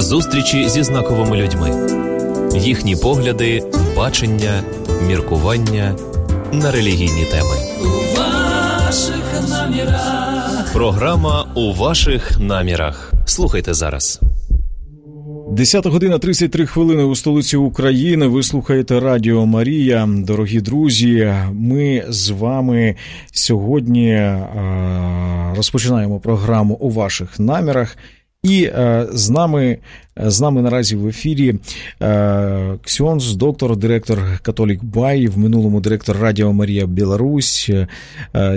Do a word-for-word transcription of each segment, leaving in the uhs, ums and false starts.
Зустрічі зі знаковими людьми. Їхні погляди, бачення, міркування на релігійні теми. У ваших намірах. Програма «У ваших намірах». Слухайте зараз. десята година тридцять три хвилини у столиці України. Ви слухаєте Радіо Марія. Дорогі друзі, ми з вами сьогодні а, розпочинаємо програму «У ваших намірах». І е, з нами, з нами наразі в ефірі е, ксьондз, доктор, директор Католік Бай, в минулому директор Радіо Марія Білорусь, е,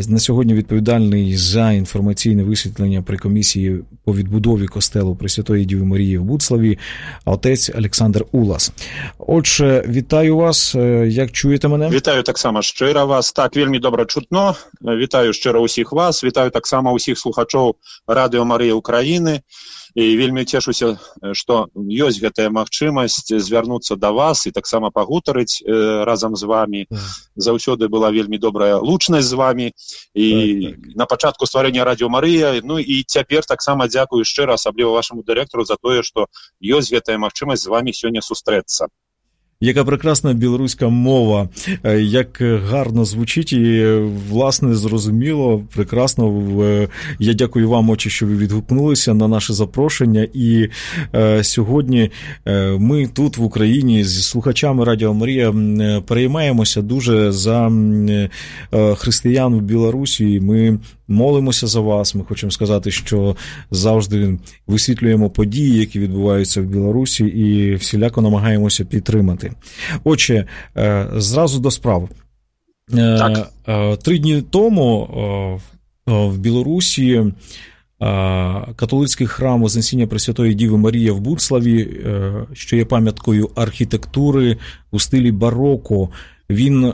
на сьогодні відповідальний за інформаційне висвітлення при комісії по відбудові костелу Пресвятої Діви Марії в Буцлаві, отець Олександр Улас. Отже, вітаю вас, як чуєте мене? Вітаю так само щиро вас, так, вельми добре чутно, вітаю щиро усіх вас, вітаю так само усіх слухачоў Радіо Марія України. І вельмі цешуся, што ёсць гэтая магчымасць звярнуцца да вас і таксама пагутарыць э, разам з вами. Заўсёды была вельмі добрая лучнасць з вами. І так, так. На пачатку стварэння Радіо Марыя, ну і цяпер таксама дзякую шчыра, асабліва вашаму дырэктару за тое, што ёсць гэтая магчымасць з вами сёння сустрэцца. Яка прекрасна білоруська мова, як гарно звучить і, власне, зрозуміло, прекрасно. Я дякую вам, отче, що ви відгукнулися на наше запрошення. І е, сьогодні ми тут, в Україні, зі слухачами Радіо Марія переймаємося дуже за е, християн в Білорусі. Ми молимося за вас. Ми хочемо сказати, що завжди висвітлюємо події, які відбуваються в Білорусі, і всіляко намагаємося підтримати. Отже, зразу до справ. Так. Три дні тому в Білорусі католицький храм Вознесіння Пресвятої Діви Марії в Буцлаві, що є пам'яткою архітектури у стилі бароко, він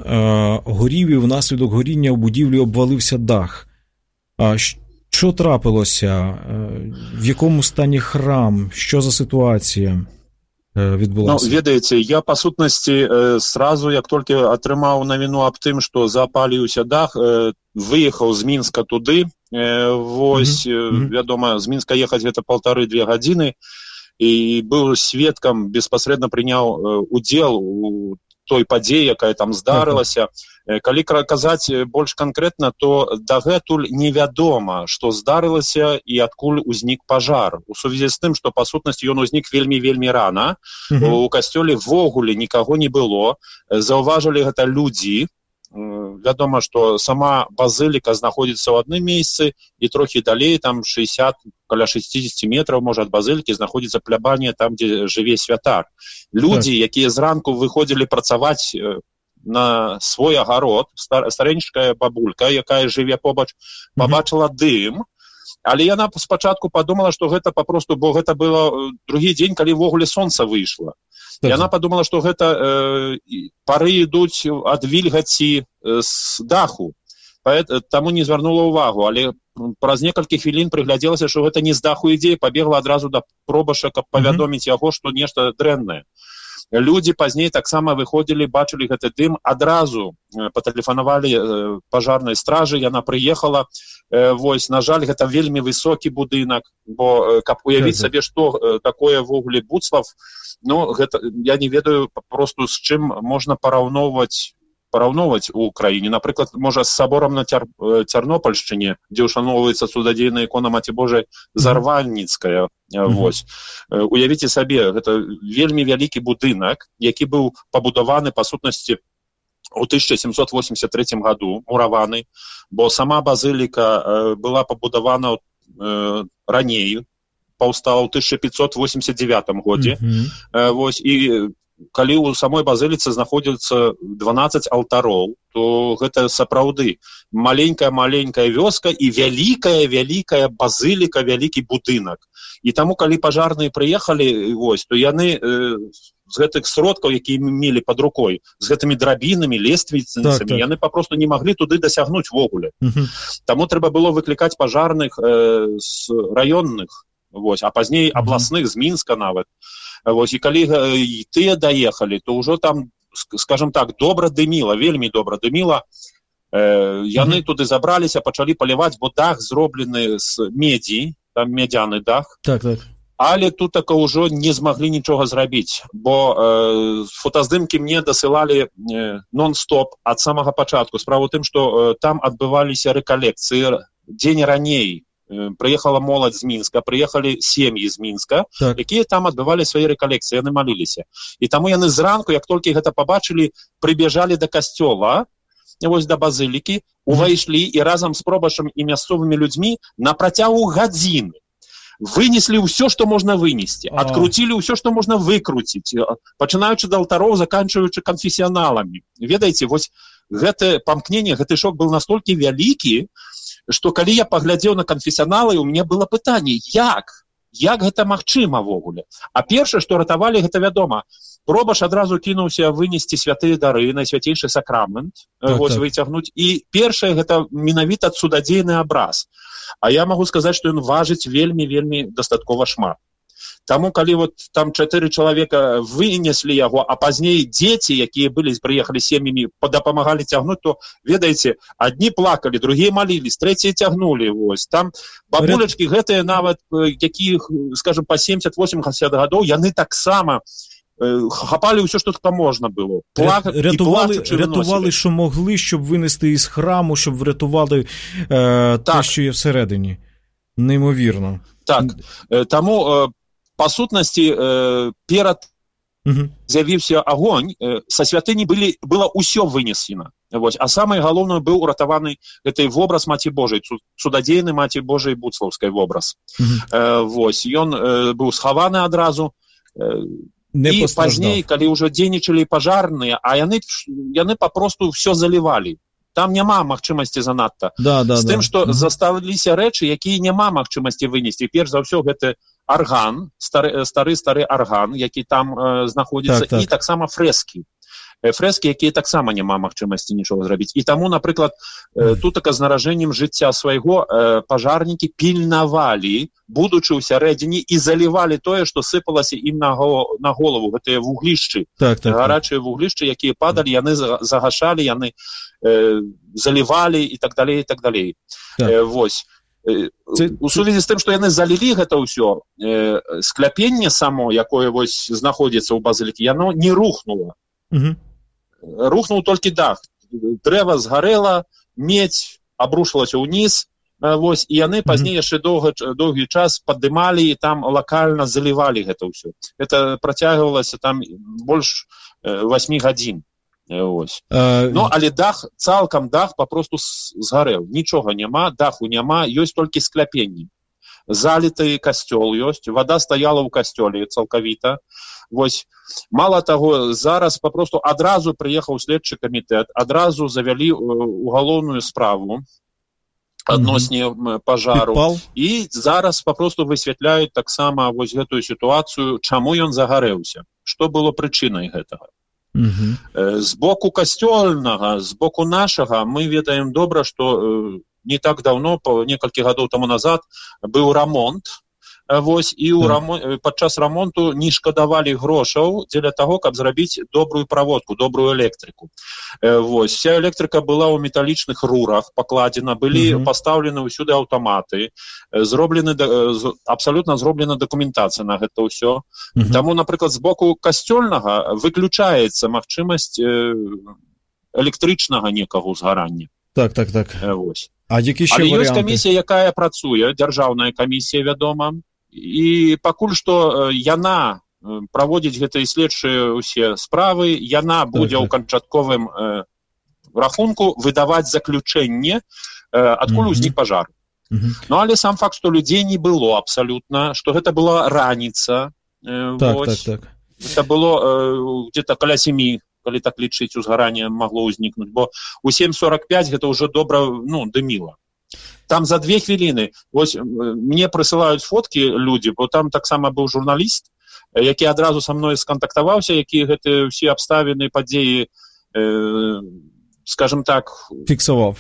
горів, і внаслідок горіння в будівлі обвалився дах. Що трапилося? В якому стані храм? Що за ситуація відбулася? Ну, ведаеце, я, па сутнасці, сразу, як толькі атрымаў навіну аб тым, што запаліўся дах, выехаў з Мінска туды, вось, mm-hmm. вядома, з Мінска ехаць гэта паўтары-две гадзіны, і быў сведкам, беспасрэдна прыняў удзел у той падзеі, якая там здарылася. Калі казаць больш канкрэтна, то дагэтуль невядома, што здарылася і адкуль узнік пажар. У сувязі з тым, што па сутнасці ён узнік вельмі-вельмі рана. Mm-hmm. У касцёле ввогуле нікаго не было. Заўважылі гэта людзі. Вядома, што сама базыліка знаходзіцца ў адным месцы, і трохі далей, там шэсцьдзесят, каля шэсцьдзесят метраў, можа, ад базылікі знаходзіцца плябанія там, дзе жыве святар. Людзі, так. якія зранку выходзілі працаваць на свой агарод, стар, старэньшая бабулька, якая жыве побач, пабачыла mm-hmm. дым, але яна спачатку падумала, што гэта папросту, бо гэта было другі дзень, калі ввогуле сонца выйшла. Так. Яна падумала, што гэта э, пары ідуць ад вільгаці э, з даху, таму не звярнула ўвагу, але праз некалькі хвілін прыглядзелася, што гэта не з даху ідзе, і пабегла адразу да пробаша, каб павядоміць mm-hmm. яго, што нешта дрэннае. Людзі пазней таксама выходзілі, бачылі гэты дым, адразу патэлефанавалі пажарнай стражы, яна прыехала. Вось, на жаль, гэта вельмі высокі будынак, бо каб уявіць сабе, што такое ввогуле Буцлав, ну, гэта, я не ведаю просто з чым можна параўноўваць параўноўваць у краіне. Напрыклад, можа, з саборам на Цяр... Цярнопольшчыне, дзе ўшаноўваецца цудадзейная ікона Маці Божай Зарванніцкая. Mm-hmm. Вось. Уявіце сабе, гэта вельмі вялікі будынак, які быў пабудаваны, па сутнасці, у тысяча сямсот восемьдесят третьем году, мураваны, бо сама базыліка была пабудавана э, раней, паўстала ў тысяча пятьсот восемьдесят девятом годзе. Mm-hmm. Вось, і калі ў самой базыліцы знаходзіцца дванаццаць алтароў, то гэта сапраўды маленькая-маленькая вёска і вялікая-вялікая базыліка, вялікі будынак. І таму, калі пажарныя прыехалі, вось, то яны э, з гэтых сродкаў, якія мелі пад рукой, з гэтымі драбінамі, лествіцамі, так, так. яны папросту не маглі туды дасягнуць ввогуле. Uh-huh. Таму трэба было выклікаць пажарных э, з раённых, вось, а пазней uh-huh. абласных, з Мінска нават. Вось, і калі і тыя даехалі, то ўжо там, скажем так, добра дыміла, вельмі добра дыміла. Э, яны mm-hmm. туды забраліся, пачалі паліваць, бо дах зроблены з медзі, там медзяны дах. Так, так. але тут так ўжо не змаглі нічога зрабіць, бо э, фотаздымкі мне дасылалі э, нон-стоп ад самага пачатку. Справа ў тым, што э, там адбываліся рэкалекцыі дзень раней. Э, прыехала моладзь з Мінска, прыехалі сем'і з Мінска, так. якія там адбывалі свае рэкалекцыі, яны маліліся. І таму яны зранку, як толькі гэта пабачылі, прыбежалі да касцёла, вось да базылікі, увайшлі і разам з пробашам і мясцовымі людзьмі на працягу гадзіны вынеслі ўсё, што можна вынесці, адкруцілі ўсё, што можна выкруціць, пачынаючы да алтароў, заканчваючы канфесіяналамі. Ведаеце, вось гэта памкненне, гэты шок быў настолькі вялікі, што калі я паглядзеў на канфесіяналы, у мяне было пытанне, як? Як гэта магчыма ввогуле? А першае, што ратавалі, гэта вядома. Пробаш адразу кінуўся вынесці святыя дары, найсвяцейшы сакрамент, так, вось так. выцягнуць. І першае, гэта менавіта цудадзейны абраз. А я магу сказаць, што ён важыць вельмі-вельмі дастаткова шмат. Таму, калі вот там чатыры чалавека вынеслі яго, а пазней дзеці, якія былі, прыехалі сем'ямі, дапамагалі цягнуць, то, ведаеце, адні плакалі, другія малілись, трэція цягнулі. Вось. Там бабулечкі гэтыя нават, якіх, скажем, па семьдесят-восемьдесят гадоў, яны таксама хапалі ўсё, што там можна было. Плак... Рятували, рятували, що могли, щоб винести із храму, щоб врятували е, те, що є всередині. Неймовірно. Так. Тому, по сутнасці, перад угу. з'явіўся агонь, са святыні былі, было ўсё вынесена. Вось. А самае галоўнае быў уратаваны гэты вобраз Маці Божай, цудадзейны Маці Божай Буцлаўскай вобраз. Угу. Вось. Ён быў схаваны адразу. Не і пазней, калі ўжо дзейнічалі пажарныя, а яны, яны папросту ўсё залівалі. Там няма магчымасці занадта. Да, да, з тым, да. што mm-hmm. засталіся рэчы, якія няма магчымасці вынесці. Перш за ўсё, гэта арган, стары-стары арган, які там э, знаходзіцца, так, так. і таксама фрэскі. Фрэскі, якія таксама няма магчымасці нічога зрабіць. І таму, напрыклад, э, тут така з наражэннем жыцця свайго э, пажарнікі пільнавалі, будучы ў сярэдзіне, і залівалі тое, што сыпалася ім на, го, на голову, гэтыя вуглішчы, так, так, гарачыя вуглішчы, якія падалі, яны загашалі, яны э, залівалі і так далей, і так далей. Так. Э, вось. Э, Ці... У сувязі з тым, што яны залілі гэта ўсё, э, скляпенне само, якое вось знаходзіцца ў базылікі, яно не рухнула. Угу. Рухнуў толькі дах. Дрэва згарэла, медзь абрушылася ўніз, вось, і яны пазней яшчэ доўга, доўгі час паддымалі і там лакальна залівалі гэта ўсё. Гэта працягвалася там больш восьмі гадзін. Вось. А... Ну, але дах, цалкам дах папросту згарэў. Нічога няма, даху няма, ёсць толькі скляпенні. Заліты касцёл ёсць, вада стаяла ў касцёле цалкавіта. Вось. Мала таго, зараз папросту адразу прыехаў следчы камітэт, адразу завялі угалоўную справу адносне mm-hmm. пажару. Підпал. І зараз папросту высвятляюць таксама вось гэтую сітуацыю, чаму ён загарэўся, што было прычынай гэтага. Mm-hmm. З боку касцёльнага, з боку нашага мы ведаем добра, што не так даўно, па некалькі гадоў таму назад, быў рамонт. Вось, і ў рамон... падчас рамонту не шкадавалі грошаў дзеля таго, каб зрабіць добрую праводку, добрую электрыку. Вось, вся электрыка была ў металічных рурах пакладзена, былі uh-huh. пастаўлены ўсюды аўтаматы, зроблены, абсалютна зроблена дакументацыя на гэта ўсё. Uh-huh. Таму, напрыклад, з боку касцёльнага выключаецца магчымасць электрычнага некага ўзгарання. Так, так, так. Вось. А які ще Але варіанти? ёсць камісія, якая працуе, дзяржаўная камісія, вядома, і пакуль што яна праводзіць гэтыя следчыя ўсе справы, яна будзе ў канчатковым э, рахунку выдаваць заключэнне, э, адкуль узнік пажар. Mm-hmm. Ну, але сам факт, што людзей не было абсалютна, што гэта была раніца. Э, так, вось. так, так. Гэта было э, где-то каля сямі, калі так лічыць, узгаранне магло ўзнікнуць, бо у сем сорок пять гэта ўжо добра, ну, дыміла. Там за две хвіліны, вось, мне прысылаюць фоткі людзі, бо там таксама быў журналіст, які адразу са мной скантактаваўся, які гэтыя ўсе абставіны, падзеі, э, скажем так... Фіксаваў.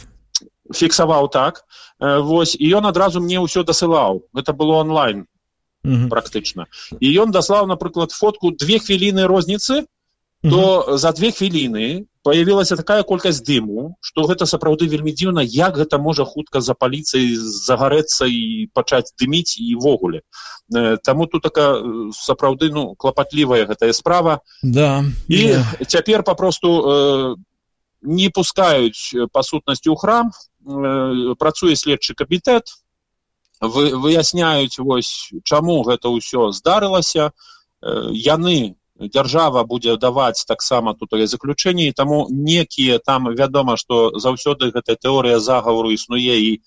Фіксаваў, так. Э, вось, і ён адразу мне ўсё дасылаў. Гэта было онлайн, mm-hmm. практычна. І ён даслаў, напрыклад, фотку две хвіліны розніцы, то за две хвіліны появілася такая колькасць дыму, што гэта сапраўды вельмі дзіўна, як гэта можа хутка запаліцца і загарэцца і пачаць дыміць і ўвогуле. Таму тут такая сапраўды ну, клапатлівая гэтая справа. Да. І да. цяпер папросту э, не пускаюць па сутнасці ў храм, э, працуе следчы камітэт, вы, выясняюць, вось, чаму гэта ўсё здарылася, э, яны дзяржава будзе даваць таксама тут заключэнні, таму некія там вядома, што заўсёды гэтая тэорыя загавару існуе і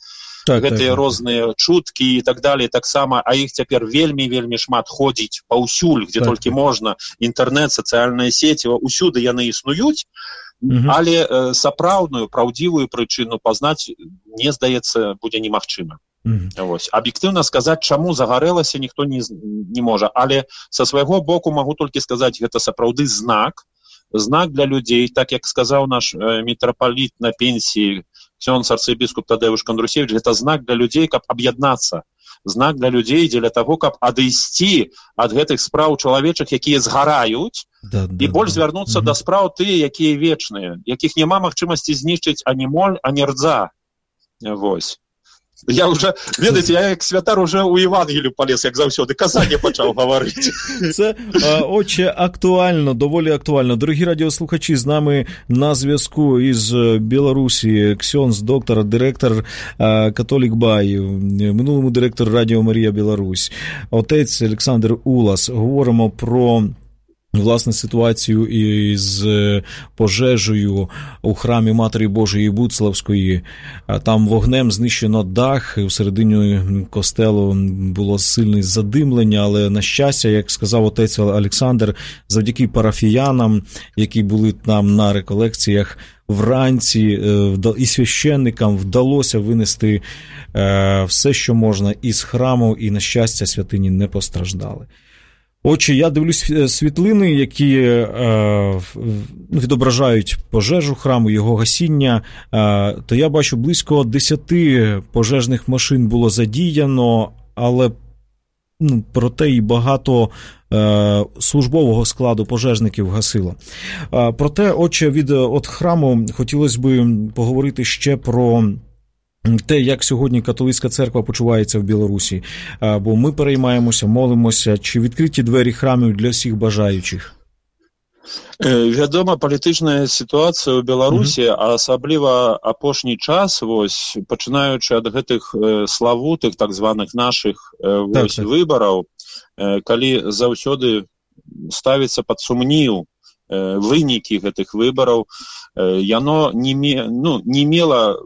так, гэтыя так, розныя так. чуткі і так далее таксама, а іх цяпер вельмі-вельмі шмат ходзіць паўсюль, дзе так, толькі так. можна, інтэрнэт, сацыяльныя сеці, усюды яны існуюць, угу. але э, сапраўдную, праўдзівую прычыну пазнаць, мне здаецца, будзе немагчыма. Mm-hmm. Вось. Аб'ектыўна сказаць, чаму загарэлася, ніхто не, не можа, але са свайго боку магу толькі сказаць, гэта сапраўды знак, знак для людзей, так як сказаў наш э, мітрапаліт на пенсіі, ксёндз арцыбіскуп Тадэвуш Кандрусевіч, гэта знак для людзей, каб аб'яднацца, знак для людзей дзеля таго, каб адысці ад гэтых спраў чалавечых, якія згараюць, да, да, і больш да. звярнуцца mm-hmm. да спраў тыя, якія вечныя, якіх няма магчымасці знішчыць ані моль, ані рдза. Вось. Я уже, ведаеце, я як святар уже у Євангелію полез, як завсёды, казання почав говорити. Це, отче, актуально, доволі актуально. Дорогі радіослухачі, з нами на зв'язку із Білорусі ксьондз, доктор, директор Католік Бай, минулому директор Радіо Марія Білорусь, отець Олександр Улас. Говоримо про власне ситуацію із пожежею у храмі Матері Божої Буцлавської. Там вогнем знищено дах, всередині костелу було сильне задимлення, але на щастя, як сказав отець Олександр, завдяки парафіянам, які були там на реколекціях вранці, і священникам вдалося винести все, що можна із храму, і на щастя святині не постраждали. Отже, я дивлюсь світлини, які е, відображають пожежу храму, його гасіння, е, то я бачу, близько десяти пожежних машин було задіяно, але ну, проте і багато е, службового складу пожежників гасило. Е, проте, отже, від от храму хотілося б поговорити ще про те, як сьогодні католицька церква почувається в Білорусі. Бо ми переймаємося, молимося, чи відкриті двері храмів для всіх бажаючих? Вядома, палітычная сітуацыя ў Беларусі, mm-hmm. а асабліва апошні час, вось, пачынаючы ад гэтых э, славутых, так званых нашых э, вось, так, выбараў, э, калі заўсёды ставіцца пад сумнеў э, вынікі гэтых выбараў, э, яно не, ме, ну, не мела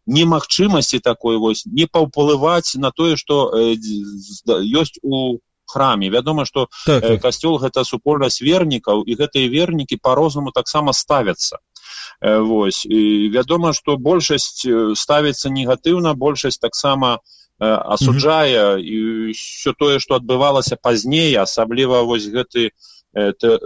немагчымасці такой вось не паўплываць на тое, што э, ёсць у храме. Вядома, што так, э, касцёл гэта супольнасць вернікаў, і гэтыя вернікі па-рознаму таксама ставяцца. Э, вось. І вядома, што большасць ставіцца негатыўна, большасць таксама э, асуджае mm-hmm. і ўсё тое, што адбывалася пазней, асабліва вось гэты, э, тэ,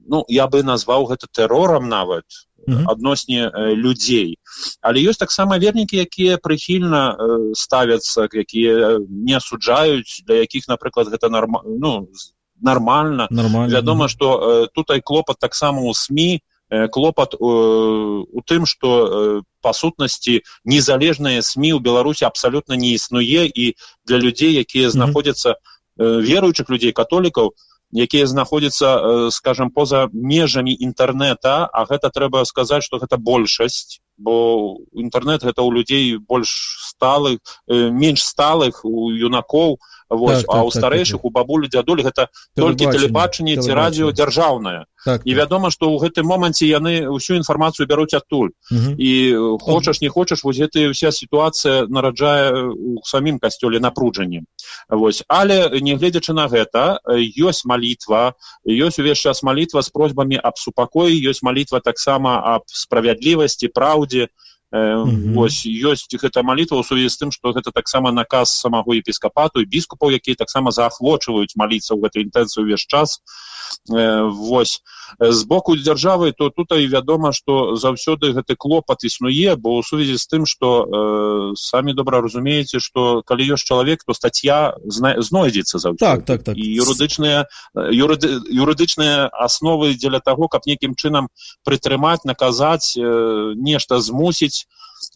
ну, я бы назваў гэта тэрорам нават, Mm-hmm. адносне э, людзей. Але ёсць таксама вернікі, якія прыхільна э, ставяцца, якія не асуджаюць, для якіх, напрыклад, гэта норма, ну, нармальна. Нормально. Вядома, што э, тут і клопат таксама ў СМІ, э, клопат э, у тым, што э, па сутнасці незалежныя СМІ ў Беларусі абсалютна не існуе, і для людзей, якія знаходзяцца, э, веруючых людзей, католікаў, якія знаходзяцца, скажем, поза межамі інтэрнэта, а гэта трэба сказаць, што гэта большасць, бо інтэрнэт гэта ў людзей больш сталых, менш сталых, у юнакоў, вось, так, а ў так, старэйшых, так, так. у бабулі, дзядулі гэта толькі тэлебачанне ці радыё дзяржаўнае. Так, і вядома, што ў гэтым моманце яны ўсю інфармацыю бяруць адтуль. Угу. І хочаш, не хочаш, вось гэтая ўся сітуацыя нараджае у самім касцёле напружанне. Вось. Але, нягледзячы на гэта, ёсць малітва, ёсць увесь час малітва з просьбамі аб супакоі, ёсць малітва таксама аб справядлівасці, праўдзе. Mm-hmm. Вось, ёсць гэта малітва ў сувязі з тым, што гэта таксама наказ самого епіскапату і біскупаў, якія таксама заахвочваюць маліцца ў гэтай інтэнцыі ўвесь час. Вось. З боку дзяржавы, то тут і вядома, што заўсёды гэты клопат існуе, бо ў сувязі з тым, што э, самі добра разумееце, што калі ёсць чалавек, то статья зна... знойдзецца заўсёды. Так, так, так. І юрыдычныя, юрыды, юрыдычныя асновы дзеля таго, каб нейкім чынам прытрымаць, наказаць, э, нешта змусіць.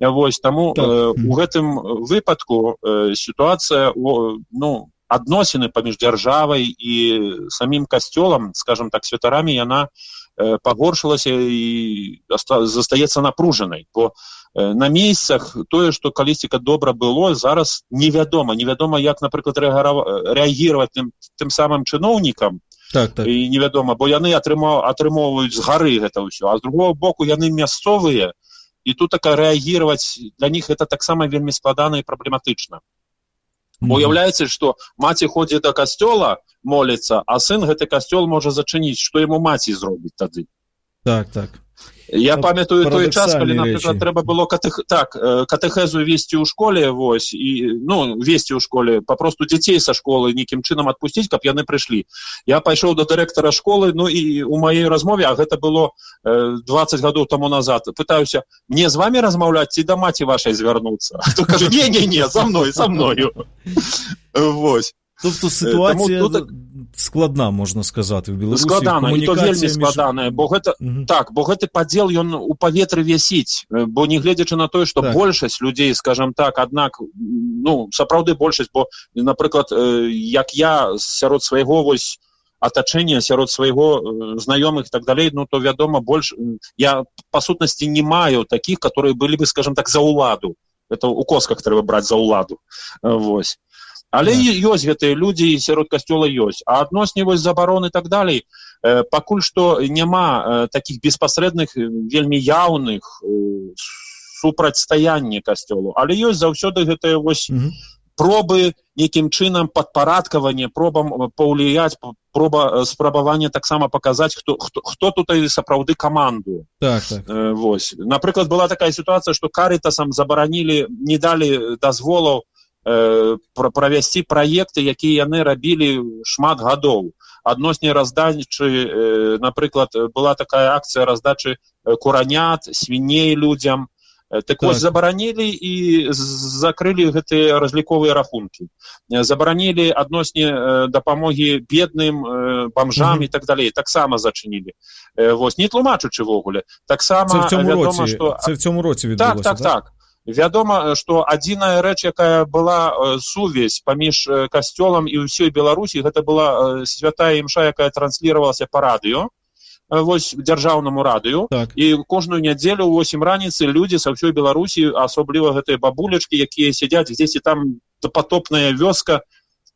Вось, таму так. э, у гэтым выпадку э, сітуацыя, о, ну, адносіны паміж дзяржавай і самім касцёлам, скажем так, святарамі, яна э, пагоршылася і застаецца напружанай. Бо э, на месцах тое, што калісьціка добра было, зараз невядома. Невядома, як, напрыклад, рэагіраваць тым, тым самым чыноўнікам, так, так. І невядома, бо яны атрымаў, атрымоўваюць з гары гэта ўсё, а з другого боку яны мясцовыя, і тут така рэагіраваць для них гэта таксама вельмі складана і праблематычна. Бо уяўляецца, што маці ходзіць да касцёла, моліцца, а сын гэты касцёл можа зачыніць, што яму маці зробіць тады. Так, так. Я памятаю той час, калі, напрыклад, трэба было катэх... так, катэхезу весці ў школе, вось, і, ну, весці ў школе, папросту дзяцей са школы нейкім чынам адпусціць, каб яны прыйшлі. Я пайшоў да дырэктара школы, ну, і ў маёй размове, а гэта было э, дваццаць гадоў таму назад, пытаюся, мне з вамі размаўляць ці да маці вашай звярнуцца? А то кажа, не-не-не, за мной, за мною. Вось. Тобто ситуація тут... складна, можна сказати, в Білорусі. Складана, і то вельмі складана, бо гэта, угу. так, бо гэты падзел, ён у паветры вісіць, бо не гледзячы на тое, што так. большасць людзей, скажам так, аднак, ну, сапраўды большасць, бо, напрыклад, як я сярод свайго вось атачэння, сярод свайго знаёмых і так далей, ну, то, вядома, больш... Я, па сутнасці, не маю такіх, которые былі бы, скажам так, за ўладу. Это у косках трэба браць за ўладу. Вось. Але yeah. ёсць гэтыя людзі, сярод касцёла ёсць. А адносні вось забароны і так далей, э, пакуль што няма э, такіх беспасрэдных, вельмі яўных э, супрацьстаяння касцёлу. Але ёсць заўсёды гэтыя вось mm-hmm. пробы нейкім чынам падпарадкавання, пробам паўліяць, проба спрабавання таксама паказаць, хто, хто, хто тут сапраўды камандуе. Так, так. Э, вось. Напрыклад, была такая сітуацыя, што Карытасам забаранілі, не далі дазволаў правесці праекты, якія яны рабілі шмат гадоў. Адносні раздачы, напрыклад, была такая акцыя раздачы куранят, свіней людзям. Так, так вось забаранілі і закрылі гэтыя разліковыя рахункі. Забаранілі адносні дапамогі бедным, бамжам mm-hmm. і так далей. Таксама зачынілі. Вось, не тлумачучы вогуле. Таксама вядома, што... Це в цьому році відбулося, так? Так, так, так. Вядома, што адзіная рэч, якая была э, сувязь паміж э, касцёлам і ўсёй Беларусі, гэта была э, святая імша, якая трансліравалася па радыё, э, вось дзяржаўнаму радыё, так. І кожную нядзелю ў восем раніцы людзі са ўсёй Беларусі, асабліва гэтыя бабулечкі, якія сядзяць дзесьці там допатопная вёска,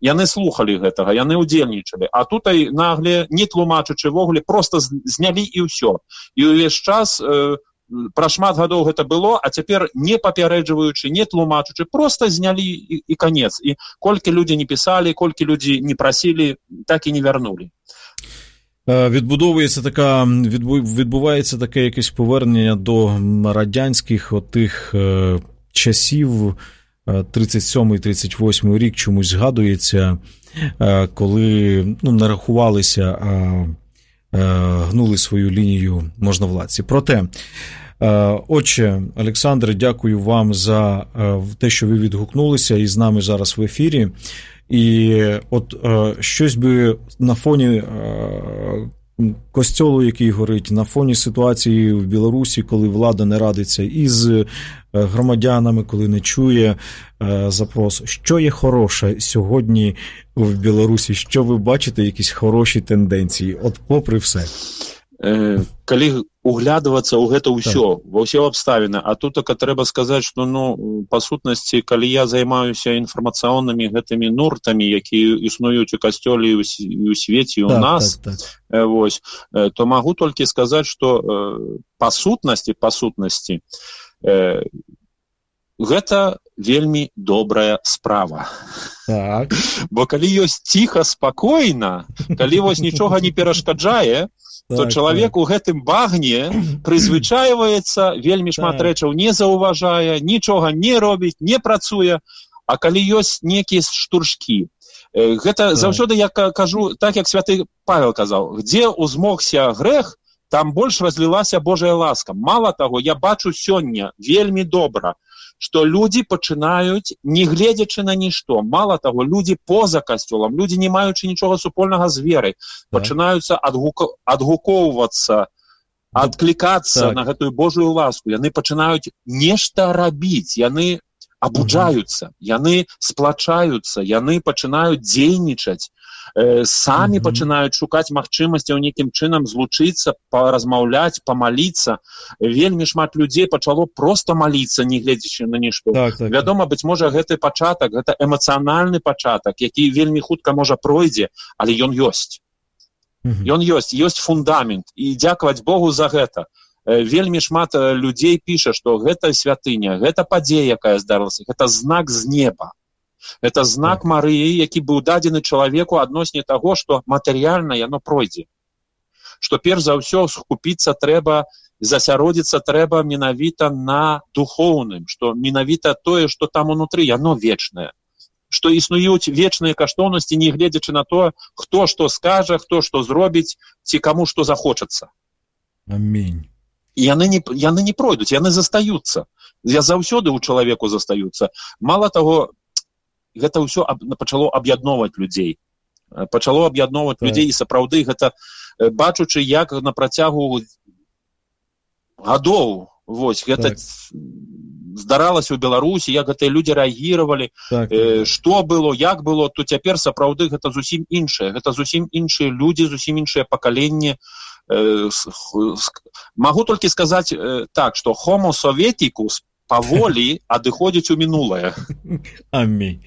яны слухалі гэтага, яны ўдзельнічалі. А тутай нагле, не тлумачачы вогуле, проста знялі і ўсё. І ўвесь час... Э, Пра шмат гадоў гэта было, а цяпер не папярэджваючы, не тлумачучы, проста знялі і, і канец. І колькі людзі не пісалі, колькі людзі не прасілі, так і не вярнулі. Відбудовується така, відбувається таке якесь повернення до радянських отих е, часів, тридцять сьомий тридцять восьмий рік чомусь згадується, е, коли ну, не рахувалися, а гнули свою лінію можновладці. Проте, отче Олександре, дякую вам за те, що ви відгукнулися і з нами зараз в ефірі. І от щось би на фоні костьолу, який горить, на фоні ситуації в Білорусі, коли влада не радиться із громадянами, коли не чує запрос. Що є хороше сьогодні в Білорусі? Що ви бачите, якісь хороші тенденції? От попри все. Э, калі углядвацца ў гэта ўсё, так. Ва ўсе абставіны, а тут так трэба сказаць, што ну, па сутнасці, калі я займаюся інфармацыйнымі гэтымі нуртамі, якія існуюць у касцёле і ў свеце, і ў так, нас, так, так. Вось, то магу толькі сказаць, што па сутнасці, па сутнасці, э, гэта вельмі добрая справа. Так. Бо калі ёсць ціха, спакойна, калі вось нічога не перашкаджае, то так, чалавек так. У гэтым багне прызвычайваецца, вельмі шмат так. рэчаў не заўважае, нічога не робіць, не працуе, а калі ёсць некія штуршкі, Гэта заўсёды я кажу, так як святы Павел казаў, дзе узмогся грэх, там больш разлілася Божая ласка. Мала таго, я бачу сёння вельмі добра, што людзі пачынаюць, не гледзячы на нішто, мала таго, людзі поза касцёлам, людзі, не маючы нічога супольнага з верай, так. пачынаюцца адгук... адгукоўвацца, адклікацца так. на гэтую Божую ласку. Яны пачынаюць нешта рабіць, яны абуджаюцца, яны сплачаюцца, яны пачынаюць дзейнічаць, э, самі mm-hmm. пачынаюць шукаць магчымасцяў нейкім чынам злучыцца, паразмаўляць, памаліцца. Вельмі шмат людзей пачало проста маліцца, не гледзячы на нішто. Так, так, Вядома, быць можа, гэты пачатак, гэта эмацыянальны пачатак, які вельмі хутка можа пройдзе, але ён ёсць. Mm-hmm. Ён ёсць, ёсць фундамент, і дзякаваць Богу за гэта. Вельмі шмат людзей піша, што гэта святыня, гэта падзея, якая здарылася, гэта знак з неба. Гэта знак Марыі, які быў дадзены чалавеку адносне таго, што матэрыяльна яно пройдзе. Што перш за ўсё скупіцца трэба, засяродзіцца трэба менавіта на духоўным, што менавіта тое, што там унутры, яно вечнае. Што існуюць вечныя каштоўнасці, не гледзячы на то, хто што скажа, хто што зробіць, ці каму што захочацца. Амінь. І яны не, яны не пройдуць, яны застаюцца. Я заўсёды ў чалавеку застаюцца. Мала таго, гэта ўсё аб, пачало аб'ядноўваць людзей. Пачало аб'ядноўваць так. людзей, і сапраўды гэта, бачучы, як на працягу гадоў, вось, гэта так. здаралася ў Беларусі, як гэтыя людзі рэагіравалі, так. э, што было, як было, то цяпер сапраўды гэта зусім іншае. Гэта зусім іншыя людзі, зусім іншае пакаленне. Магу толькі сказаць так, што homo soveticus паволі адыходзіць у мінулае. Амінь.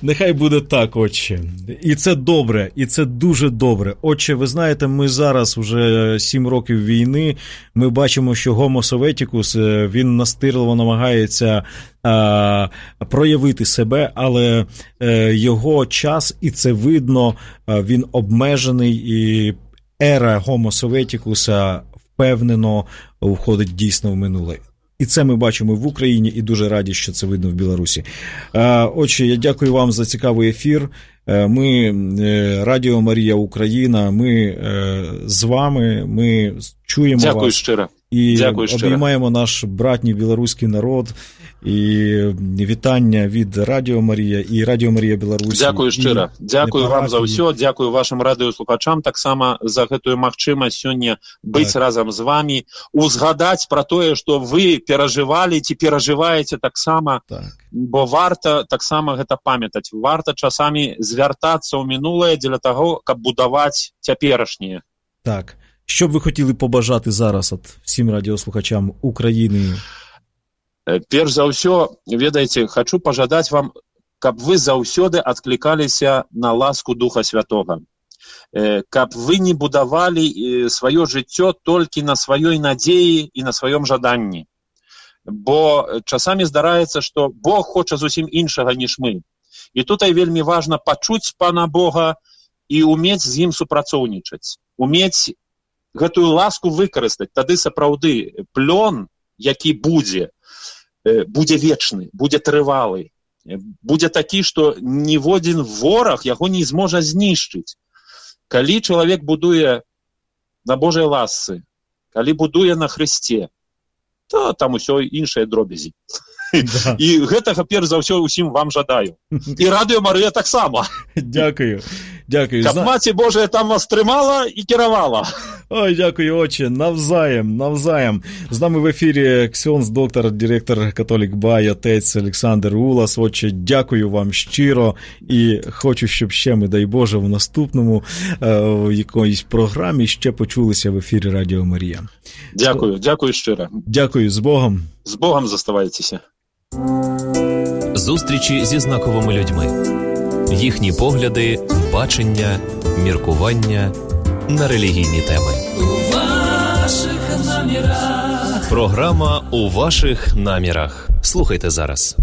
Нехай буде так, отче. І це добре, і це дуже добре. Отче, ви знаєте, ми зараз вже сім років війни, ми бачимо, що Homo Soveticus, він настирливо намагається а, проявити себе, але а, його час, і це видно, а, він обмежений, і ера Homo Soveticus впевнено входить дійсно в минуле. І це ми бачимо в Україні, і дуже раді, що це видно в Білорусі. Отже, я дякую вам за цікавий ефір. Ми, Радіо Марія Україна, ми з вами, ми чуємо дякую вас. Щиро. І дякую обіймаємо щиро. Наш братній білоруський народ. І вітання від Радіо Марія і Радіо Марія Білорусі. Дякую щиро. Дякую вам за ўсё. Дякую вашим радыёслухачам таксама за гэтую магчымасць сёння быць так. разам з вами, узгадаць пра тое, што вы перажывалі ці перажываеце таксама, так. бо варта таксама гэта памятаць. Варта часамі звяртацца ў мінулае дзеля таго, каб будаваць цяперашняе. Так. Що б ви хотіли побажати зараз от всім радіослухачам України? Перш за ўсё, ведаеце, хочу пожадаць вам, каб вы заўсёды адклікаліся на ласку Духа Святога. Каб вы не будавалі сваё жыццё толькі на сваёй надзеі і на сваём жаданні. Бо часамі здараецца, што Бог хоча зусім іншага, ніж мы. І тут вельмі важна пачуць Пана Бога і умець з ім супрацоўнічаць. Умець гэтую ласку выкарыстаць. Тады сапраўды плён, які будзе, будзе вечны, будзе трывалы, будзе такі, што ніводзін вораг яго не зможа знішчыць. Калі чалавек будуе на Божай ласцы, калі будуе на Хрысце, то там усё іншыя дробязі. Да. І гэтага перш за ўсё усім вам жадаю. І Радыё Марыя таксама. Дякую. Дякую. Каб Маці Божая там вас трымала і кіравала. Ой, дякую, отче. Навзаєм, навзаєм. З нами в ефірі ксьондз, доктор, директор Католік Бай, отець Олександр Улас. Отче, дякую вам щиро. І хочу, щоб ще, ми, дай Боже, в наступному в якоїсь програмі ще почулися в ефірі Радіо Марія. Дякую, дякую щиро. Дякую, з Богом. З Богом заставайтеся. Зустрічі зі знаковими людьми. Їхні погляди, бачення, міркування на релігійні теми. У ваших намірах. Програма «У ваших намірах». Слухайте зараз.